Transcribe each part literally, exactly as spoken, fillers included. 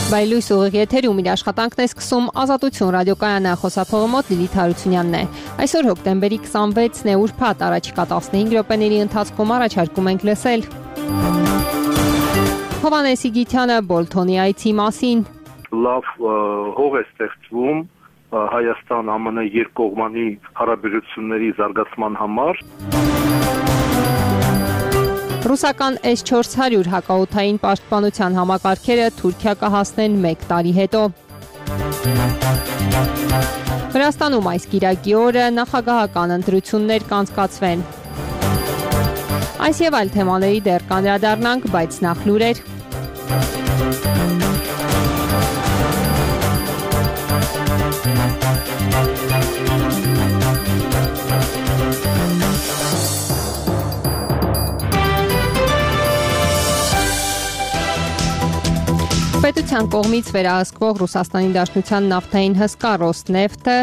Բայլույս ուղիղ եթերում իր աշխատանքն է սկսում Ազատություն ռադիոկայանը, խոսափողի մոտ Լիլիթ Հարությունյանն է։ Այսօր հոկտեմբերի քսանվեցն է, ուրբաթ, առաջիկա տասնհինգ րոպեների ընթացքում առաջարկում ենք լսել Հովհաննես Իգիթյանը Բոլթոնի այցի մասին։ Լավ հող է ստեղծվում Հայաստան-ա մը ն երկկողմանի հարաբերությունների զարգացման համար։ Ռուսական էս չորս հարյուր հակաօդային պաշտպանության համակարգերը Թուրքիա կհասնեն մեկ տարի հետո։ Վրաստանում այս կիրակի օրը նախագահական ընտրություններ կանցկացվեն։ Այս եւ այլ թեմաների դեռ կանդրադառնանք, բայց նախ լուրեր։ Պետության կողմից վերահսկվող Ռուսաստանի Դաշնության նավթային հսկա Ռոսնեֆտը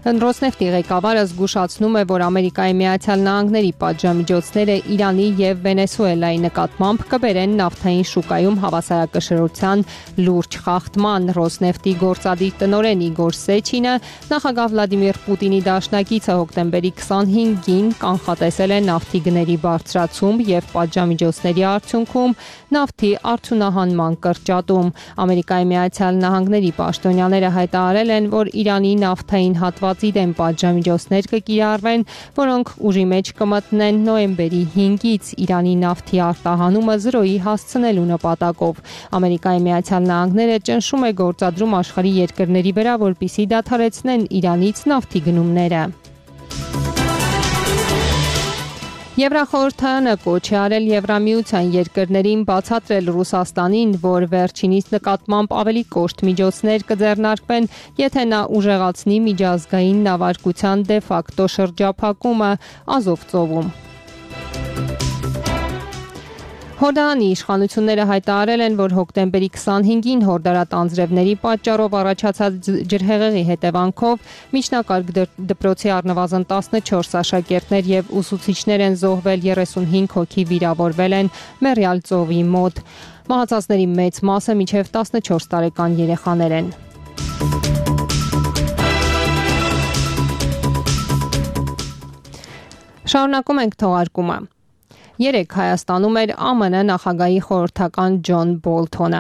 Ռոսնեֆտի ղեկավարը զգուշացնում է, որ Ամերիկայի Միացյալ Նահանգների պատժամիջոցները Իրանի եւ Վենեսուելայի նկատմամբ կբերեն նավթային շուկայում հավասարակշռության լուրջ խախտման։ Ռոսնեֆտի գործադիր տնօրեն Իգոր Սեչինը նախագահ Վլադիմիր Պուտինի դաշնակիցը հոկտեմբերի քսանհինգին կանխատեսել է նավթի գների բարձրացում եւ պատժամիջոցների արդյունքում նավթի արդյունահանման կրճատում։ Ամերիկայի Միացյալ Նահանգների պաշտոնյաները հայտարարել են, որ Իրանի նավթային հատվածի դեմ պատժամիջոցներ կկիրառվեն, որոնք ուժի մեջ կմտնեն նոյեմբերի հինգից Իրանի նավթի արտահանումը զրոյի հասցնելու նպատակով։ Ամերիկայի Միացյալ Նահանգները ճնշում է գործադրում աշխարհի երկրների վրա, որպեսզի դադարեցնեն Իրանից նավթի գնումները։ Եվրախորհրդարանը կոչ է արել Եվրամիության երկրներին բացատրել Ռուսաստանին, որ վերջինիս նկատմամբ ավելի կոշտ միջոցներ կձեռնարկվեն, եթե նա ուժեղացնի միջազգային նավարկության դե ֆակտո շրջափակումը Ազով ծովում։ Հորդանանի իշխանությունները հայտարարել են, որ հոկտեմբերի քսանհինգին հորդարատ անձրևների պատճառով առաջացած ջրհեղեղի հետևանքով միջնակարգ դպրոցի առնվազն տասնչորս աշակերտներ եւ ուսուցիչներ են զոհվել, երեսունհինգ հոգի վիրավորվել են Մեռյալ ծովի մոտ։ Մահացածների մեծ մասը մինչև տասնչորս տարեկան երեխաներ են։ Շարունակում ենք թողարկումը։ Երեկ Հայաստանում էր Ա Մ Ն նախագահի խորհրդական Ջոն Բոլթոնը։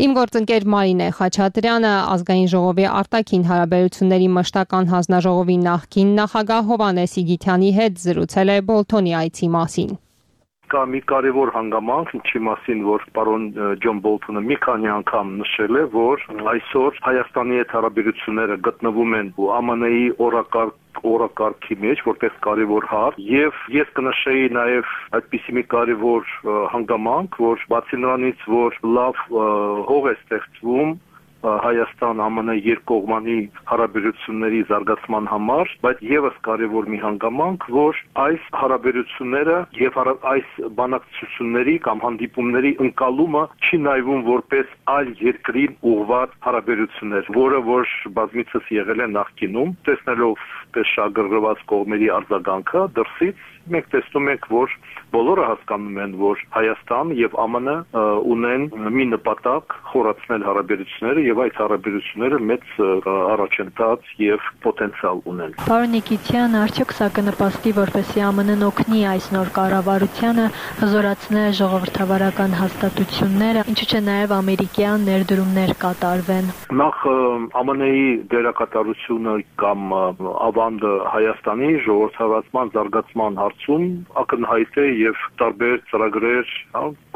Իմ գործընկեր Մարինե Խաչատրյանը ազգային ժողովի արտաքին հարաբերությունների մշտական հանձնաժողովի նախկին նախագահ Հովհաննես Իգիթյանի հետ զրուցել է Բոլթոնի այցի մասին։ Կա մի կարևոր հանգամանք, ինչի մասին որ պարոն Ջոն Բոլթոնը մի քանի անգամ նշել է, որ այսօր Հայաստանի հետ հարաբերությունները գտնվում են Ա Մ Ն-ի օրակարգ օրակարգի մեջ որպես կարևոր հարց եւ ես կնշեի նաեւ այդպիսի մի կարևոր հանգամանք, որ բացի նրանից, որ լավ հող է ստեղծվում Հայաստան-Ա Մ Ն երկկողմանի հարաբերությունների զարգացման համար, բայց եւս կարևոր մի հանգամանք, որ այս հարաբերությունները եւ այս բանակցությունների կամ հանդիպումների ընկալումը չի նայվում որպես այլ երկրին ուղղված հարաբերություններ, որը որ բազմիցս եղել է նախկինում, տեսնելով շագրգռված կողմերի արձագանքը դրսից մենք տեսնում ենք, որ բոլորը հասկանում են, որ Հայաստան եւ Ա Մ Ն ունեն մի նպատակ խորացնել հարաբերությունները եւ այդ հարաբերությունները մեծ առաջընթաց եւ պոտենցիալ ունեն։ Պարոն Իգիթյան, արդյոք սա կնպաստի, որպեսզի Ա Մ Ն-ն օգնի այս նոր կառավարությանը հզորացնել ժողովրդավարական հաստատությունները, ինչու՞ չէ նաեւ ամերիկյան ներդրումներ կատարվեն։ Նախ Ա Մ Ն-ի դերակատարությունը կամ ավանդը Հայաստանի ժողովրդավարական զարգացման հարցում ակնհայտ է եւ տարբեր ծրագրեր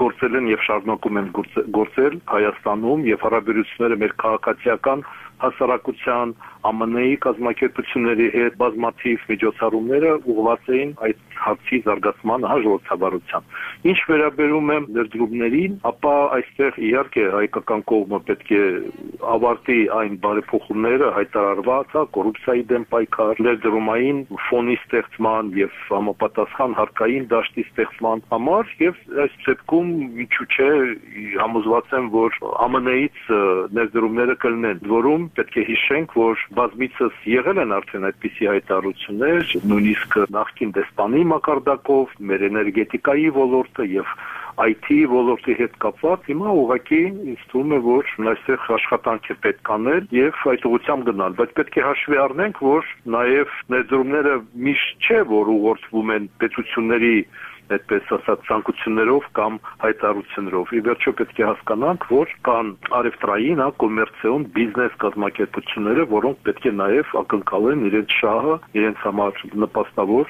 գործել են եւ շարունակում են գործել Հայաստանում եւ հարաբերությունները մեր քաղաքացիական հասարակության Ա Մ Ն-ի կազմակերպությունների հետ բազմաթիվ միջոցառումները ուղղված էին այդ հարցի զարգացմանը ժողովրդավարության։ Ինչ վերաբերում է ներդրումներին, ապա այստեղ իհարկե հայկական կողմը պետք է ավարտի այն բարեփոխումները հայտարարված, կոռուպցիայի դեմ պայքար, ներդրումային ֆոնի ստեղծման եւ համապատասխան հարկային դաշտի ստեղծման համար եւ այս ծեպքում ինչու՞ չէ համոզված եմ, որ Ա Մ Ն-ից ներդրումները կլինեն, որում պետք է հիշենք, որ բազմիցս եղել են արդեն այդպիսի հայտարարություններ, նույնիսկ նախկին դեսպանի մակարդակով, մեր էներգետիկայի ոլորտը եւ I T ոլորտի հետ կապված, հիմա ուղղակի ինձ թվում է, որ այստեղ աշխատանք է պետք անել եւ այդ ուղղությամբ գնալ, բայց պետք է հաշվի առնենք, որ նաեւ ներդրումները միշտ չէ, որ ուղղորդվում են պետությունների այդպես ասած ցանկություններով կամ հայտարարություններով։ Ի վերջո պետք է հասկանանք, որ կան արևտրային, կոմերցիոն բիզնես կազմակերպությունները, որոնք պետք է նաև ակնկալեն իրենց շահը, իրենց համար նպաստավոր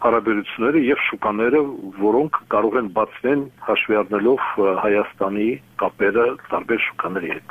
հարաբերությունները եւ շուկաները, որոնք կարող են բացվեն հաշվի առնելով Հայաստանի կապերը տարբեր շուկաների հետ։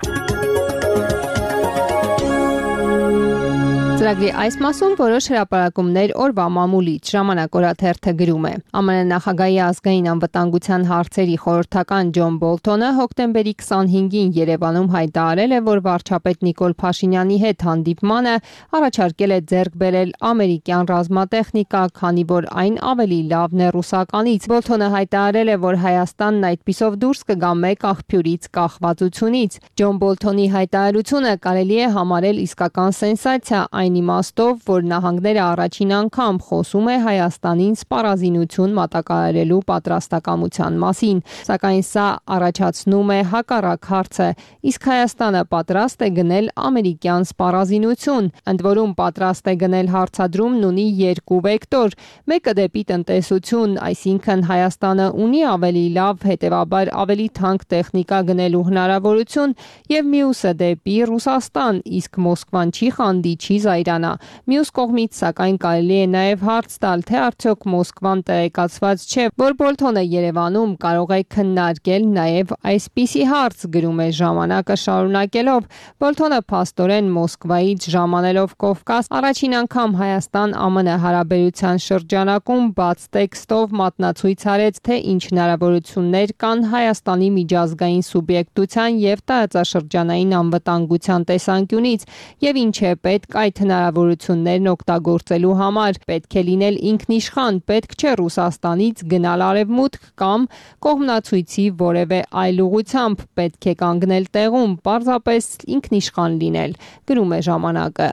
Ծրագրի այս մասում որոշ հրապարակումներ օրվա մամուլից ժամանակ օրաթերթը գրում է։ ԱՄՆ նախագահի ազգային անվտանգության հարցերի խորհրդական Ջոն Բոլթոնը հոկտեմբերի քսանհինգին Երևանում հայտարարել է, որ վարչապետ Նիկոլ Փաշինյանի հետ հանդիպմանը առաջարկել է ձեռք բերել ամերիկյան ռազմատեխնիկա, քանի որ այն ավելի լավն է ռուսականից։ Բոլթոնը հայտարարել է, որ Հայաստանն այդպիսով դուրս կգա մեկ աղբյուրից կախվածությունից։ Ջոն Բոլթոնի հայտարարությունը կարելի է համարել իսկական սենսացիա, այն իմաստով, որ նահանգները առաջին անգամ խոսում է Հայաստանին սպառազինություն մատակարարելու պատրաստակամության մասին, սակայն սա առաջացնում է հակառակ հարցը, իսկ Հայաստանը պատրաստ է գնել ամերիկյան սպառազինություն, ընդ որում պատրաստ է գնել հարցադրումն ունի երկու վեկտոր, մեկը դեպի տնտեսություն, այսինքն Հայաստանը ունի ավելի լավ, հետևաբար ավելի թանկ տեխնիկա գնելու հնարավորություն, եւ մյուսը դեպի Ռուսաստան, իսկ Մոսկվան չի խանդի, չի զայրանա։ Մյուս կողմից, սակայն կարելի է նաև հարց տալ, թե արդյոք Մոսկվան տեղեկացված չէ, որ Բոլթոնը Երևանում կարող է քննարկել նաև այսպիսի հարց, գրում է ժամանակը շարունակելով։ Բոլթոնը փաստորեն Մոսկվայից ժամանելով Կովկաս առաջին անգամ Հայաստան-ԱՄՆ հարաբերության շրջանակում բաց տեքստով մատնացույց արեց, թե ինչ հնարավորություններ կան Հայաստանի միջազգային սուբյեկտության եւ տարածաշրջանային անվտանգության տեսանկյունից եւ ինչ է պետք այդ հնարավորություններն օգտագործելու համար, պետք է լինել ինքնիշխան, պետք չէ Ռուսաստանից գնալ արևմուտք կամ կողմնացույցի որևէ այլ ուղղությամբ, պետք է կանգնել տեղում, պարզապես ինքնիշխան լինել, գրում է ժամանակը։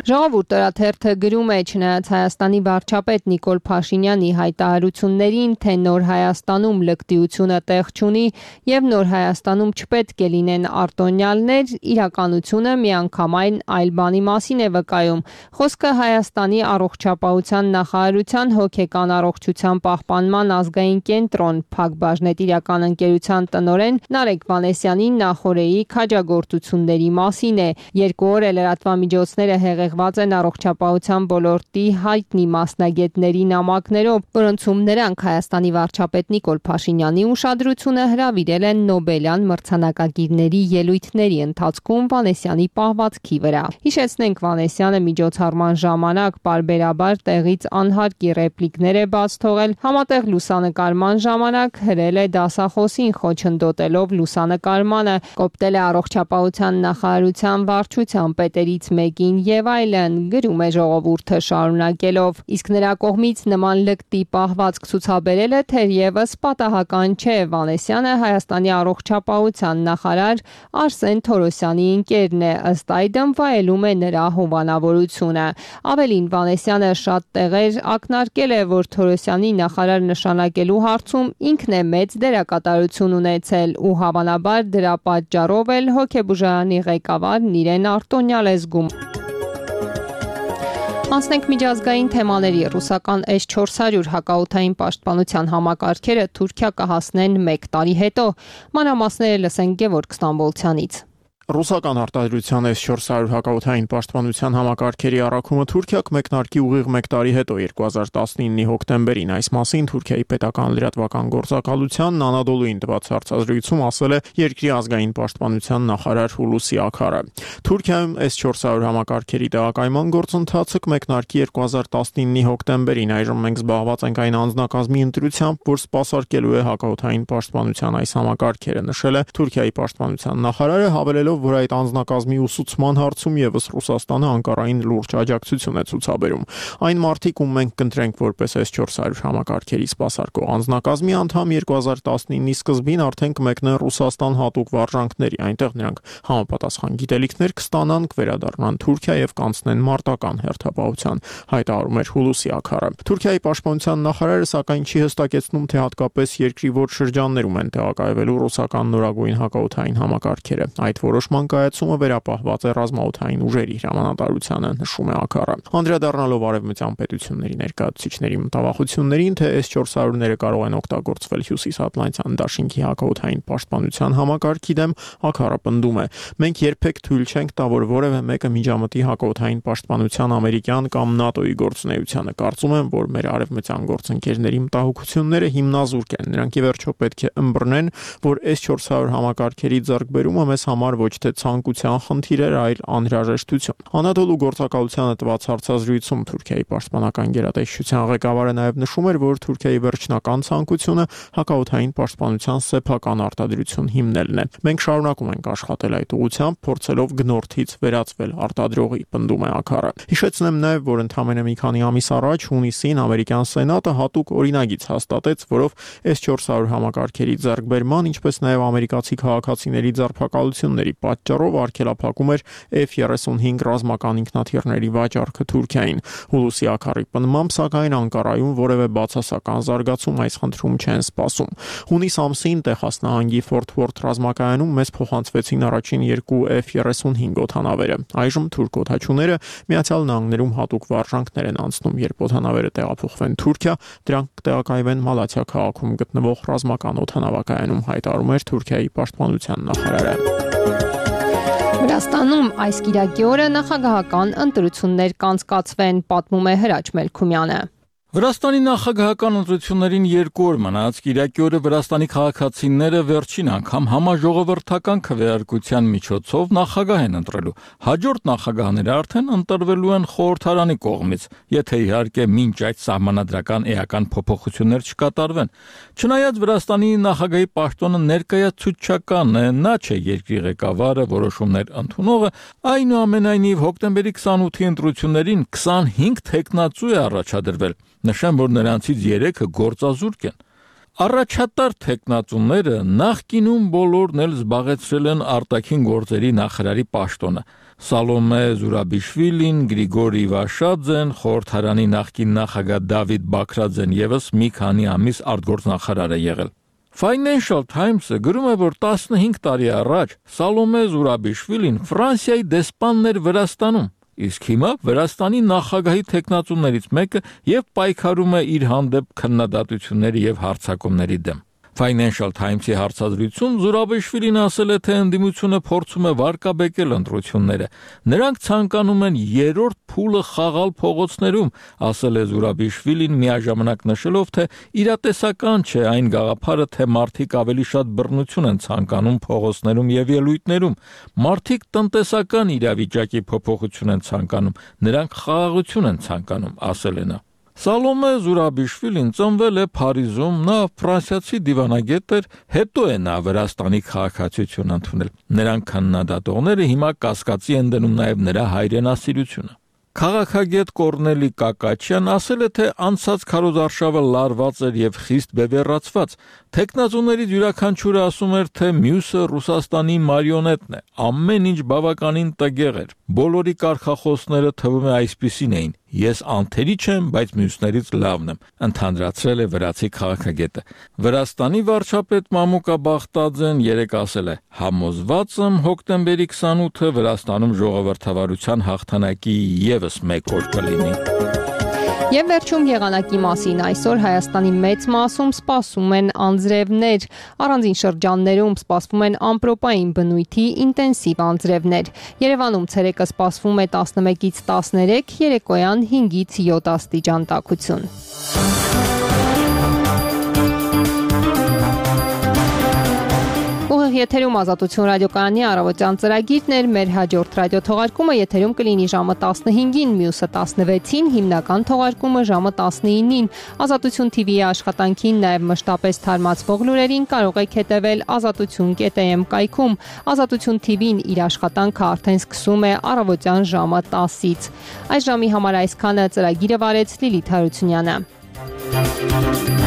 Ժողովուրդ օրաթերթը գրում է, չնայած Հայաստանի վարչապետ Նիկոլ Փաշինյանի հայտարարություններին, թե նոր Հայաստանում լկտիությունը տեղ չունի եւ նոր Հայաստանում չպետք է լինեն արտոնյալներ, իրականությունը միանգամայն այլ բանի մասին է վկայում։ Խոսքը Հայաստանի առողջապահության նախարարության հոգեկան առողջության պահպանման ազգային կենտրոն Փակ բաժնետիրական ընկերության տնօրեն Նարեկ Վանեսյանի նախորեի քաջագործությունների մասին է։ Երկու օր է լրատվամիջոցները հեղեղված են առողջապահության ոլորտի հայտնի մասնագետների նամակներով, որոնցում նրանք Հայաստանի վարչապետ Նիկոլ Փաշինյանի ուշադրությունը հրավիրել են Նոբելյան մրցանակակիրների ելույթների ընթացքում Վանեսյանի պահվածքի վրա։ Հիշեցնենք, Վանեսյանը միջոցառման ժամանակ պարբերաբար տեղից անհարկի ռեպլիկներ է բաց թողել, համատեղ լուսանկարման ժամանակ հրել է դասախոսին խոչընդոտելով լուսանկարմանը, կոպտել է առողջապահության նախարարության վարչության պետերից մեկին եւ այլն, գրում է ժողովուրդը շարունակելով։ Իսկ նրա կողմից նման լկտի պահվածք ցուցաբերելը թերևս պատահական չէ։ Վանեսյանը Հայաստանի առողջապահության նախարար Արսեն Թորոսյանի ընկերն է, ըստ այդմ վայելում է նրա հովանավորությունը։ Ավելին, Վանեսյանը շատ տեղեր ակնարկել է, որ Թորոսյանի նախարար նշանակելու հարցում ինքն է մեծ դերակատարություն ունեցել ու հավանաբար դրա պատճառով էլ հոգեբուժարանի ղեկավարն իրեն արտոնյալ է զգում։ Անցնենք միջազգային թեմաների։ Ռուսական էս չորս հարյուր հակաօդային պաշտպանության համակարգերը Թուրքիա կհասնեն մեկ տարի հետո։ Մանրամասները լսենք Գևորգ Ստամբոլցյանից։ Ռուսական արտադրության էս չորս հարյուր հակաօդային պաշտպանության համակարգերի առաքումը Թուրքիա կմեկնարկի ուղիղ մեկ տարի հետո երկու հազար տասնինի հոկտեմբերին։ Այս մասին Թուրքիայի պետական լրատվական գործակալության Անադոլուին տված հարցազրույցում ասել է երկրի ազգային պաշտպանության նախարար Հուլուսի Աքարը։ Թուրքիայում էս չորս հարյուր համակարգերի տեղակայման գործընթացը կմեկնարկի երկու հազար տասնինի հոկտեմբերին։ Այժմ մենք զբաղված ենք այն անձնակազմի ընտրությամբ, որ սպասարկելու է հակաօդային պաշտպանության այս համակարգերը, նշել է Թուրքիայի պաշտպանության նախարարը, հավելելով, որ այդ անձնակազմի ուսուցման հարցում եւս Ռուսաստանը Անկարային լուրջ աջակցություն է ցուցաբերում։ Այն մարդիկ, ում մենք կընտրենք որպես էս չորս հարյուր համակարգերի սպասարկող անձնակազմի անդամ երկու հազար տասնինի սկզբին արդեն կմեկնեն Ռուսաստան հատուկ վարժանքների, այնտեղ նրանք համապատասխան գիտելիքներ կստանան, կվերադառնան Թուրքիա եւ կանցնեն մարտական հերթապահության, հայտարարում էր Հուլուսի Աքարը։ Թուրքիայի պաշտպանության նախարարը սակայն չի հստակեցնում, թե հատկապես երկրի որ շրջաններում են տեղակայվելու ռուսական նորագույն հակաօդային համակարգերը։ Այդ որոշման կայացումը վերապահված է ռազմաօդային ուժերի հրամանատարությանը, նշում է Աքարը։ Անդրադառնալով արևմտյան պետությունների ներկայացուցիչների մտավախություններին, թե էս չորս հարյուրները կարող են օգտագործվել Հյուսիսատլանտյան դաշինքի հակաօդային պաշտպանության համակարգի դեմ, Աքարը պնդում է. մենք երբեք թույլ չենք տա, որ որևէ մեկը միջամտի հակաօդային պաշտպանության ամերիկյան կամ ՆԱՏՕ-ի գործունեությանը։ Կարծում եմ, որ մեր արևմտյան գործընկերների մտահոգությունները հիմնազուրկ են։ Նրանք ի վերջո պետք է ըմբռնեն, որ էս չորս հարյուր համակարգերի ձեռքբերումը մեզ համար ոչ թե ցանկության խնդիր էր, այլ անհրաժեշտություն։ Անադոլու գործակալությանը տված հարցազրույցում Թուրքիայի պաշտպանական գերատեսչության ղեկավարը նաև նշում էր, որ Թուրքիայի վերջնական ցանկությունը հակաօդային պաշտպանության սեփական արտադրություն հիմնելն է։ Մենք շարունակում ենք աշխատել այդ ուղղությամբ, փորձելով գնորդից վերածվել արտադրողի, պնդում է Աքարը։ Հիշեցնեմ նաև, որ ընդամենը մի քանի ամիս առաջ հունիսին ամերիկյան սենատը հատուկ օրինագիծ հաստատեց, որով էս չորս հարյուր համակարգերի ձեռքբերման, ինչպես նաև ամերիկացի քաղաքացիների ձերբակալությունների պատճառով արգելափակում էր F thirty-five ռազմական ինքնաթիռների վաճառքը Թուրքիային։ Հուլուսի Աքարի պնդմամբ, սակայն Անկարայում որևէ բացասական զարգացում այս խնդրում չեն սպասում։ Հունիս ամսին Տեխաս նահանգի Ֆորթ Վորթ ռազմակայանում մեզ փոխանցվեցին առաջին երկու F thirty-five օդանավերը։ Այժմ թուրք օդաչուները Միացյալ Նահանգներում հատուկ վարժանքներ են անցնում, երբ օդանավերը տեղափոխվեն Թուրքիա, դրանք կտեղակայվեն Մալաթիա քաղաքում գտնվող ռազմական օդանավակայանում, հայտարարում էր Թուրքիայի պաշտպանության նախարարը։ Վրաստանում այս կիրակի օրը նախագահական ընտրություններ կանցկացվեն, պատմում է Հրաչ Մելքումյանը։ Վրաստանի նախագահական ընտրություններին երկու օր մնաց կիրակի օրը Վրաստանի քաղաքացիները վերջին անգամ համաժողովրդական քվեարկության միջոցով նախագահ են ընտրելու։ Հաջորդ նախագահները արդեն ընտրվելու են խորհրդարանի կողմից, եթե իհարկե մինչ այդ սահմանադրական էական փոփոխություններ չկատարվեն։ Չնայած Վրաստանի նախագահի պաշտոնը ներկայացուցչական է, նա չէ երկրի ղեկավարը, որոշումներ ընդունողը, այնուամենայնիվ հոկտեմբերի քսանութի ընտրություններին քսանհինգ թեկնածու է առաջադրվել։ Նշեմ, որ նրանցից երեքը գործազուրկ են։ Առաջատար թեկնածուները նախկինում բոլորն էլ զբաղեցրել են արտաքին գործերի նախարարի պաշտոնը։ Սալոմե Զուրաբիշվիլին, Գրիգորի Վաշաձեն, խորհրդարանի նախկին նախագահ Դավիթ Բաքրաձեն եւս մի քանի ամիս արտգործնախարար է եղել։ Financial Times-ը գրում է, որ տասնհինգ տարի առաջ Սալոմե Զուրաբիշվիլին Ֆրանսիայի դեսպանն էր Վրաստանում։ Իսկ հիմա Վրաստանի նախագահի թեկնածուներից մեկը եւ պայքարում է իր հանդեպ քննադատությունների եւ հարձակումների դեմ։ Financial Times-ի հարցազրույցում Զուրաբիշվիլին ասել է, թե ընդդիմությունը փորձում է վարկաբեկել ընտրությունները։ Նրանք ցանկանում են երրորդ փուլը խաղալ փողոցներում, ասել է Զուրաբիշվիլին, միաժամանակ նշելով, թե իրատեսական չէ այն գաղափարը, թե մարդիկ ավելի շատ բռնություն են ցանկանում փողոցներում եւ ելույթներում։ Մարդիկ տնտեսական իրավիճակի փոփոխություն են ցանկանում, նրանք խաղաղություն են ցանկանում, ասել է նա։ Սալոմե Զուրաբիշվիլին ծնվել է Փարիզում, նա ֆրանսիացի դիվանագետ էր, հետո է նա Վրաստանի քաղաքացիություն ընդունել։ Նրանք քննադատողները հիմա կասկածի են դնում նաև նրա հայրենասիրությունը։ Քաղաքագետ Կորնելի Կակաչյան ասել է, թե անցած քարոզարշավը լարված էր եւ խիստ բևեռացված։ Տեխնազուներից յուրաքանչյուրը ասում էր, թե մյուսը Ռուսաստանի մարիոնետն է։ Ամեն ինչ բավականին տգեղ էր։ Բոլորի կարգախոսները թվում է այսպիսին էին. Ես անթերի չեմ, բայց մյուսներից լավն եմ, ընդհանրացրել է վրացի քաղաքագետը։ Վրաստանի վարչապետ Մամուկա Բախտաձեն երեկ ասել է. համոզված եմ հոկտեմբերի քսանութը Վրաստանում ժողովրդավարության հաղթանակի եւս մեկ օր կլինի։ Եվ վերջում եղանակի մասին այսօր Հայաստանի մեծ մասում սպասվում են անձրևներ, առանձին շրջաններում սպասվում են ամպրոպային բնույթի ինտենսիվ անձրևներ։ Երևանում ցերեկը սպասվում է տասնմեկից տասներեք, երեկոյան հինգից յոթ աստիճան տաքություն։ Ուղիղ եթերում Ազատություն ռադիոկայանի առավոտյան ծրագիրն էր, մեր հաջորդ ռադիոթողարկումը եթերում կլինի ժամը տասնհինգին, մյուսը տասնվեցին, հիմնական թողարկումը ժամը տասնինին։ Ազատություն թի վի-ի աշխատանքին, նաև մշտապես թարմացվող լուրերին կարող եք հետևել ազատություն կետ է էմ կայքում։ Ազատություն թի վին իր աշխատանքը արդեն սկսում է առավոտյան ժամը տասից։ Այս ժամի համար այսքանը, ծրագիրը վարեց Լիլիթ Հարությունյանը։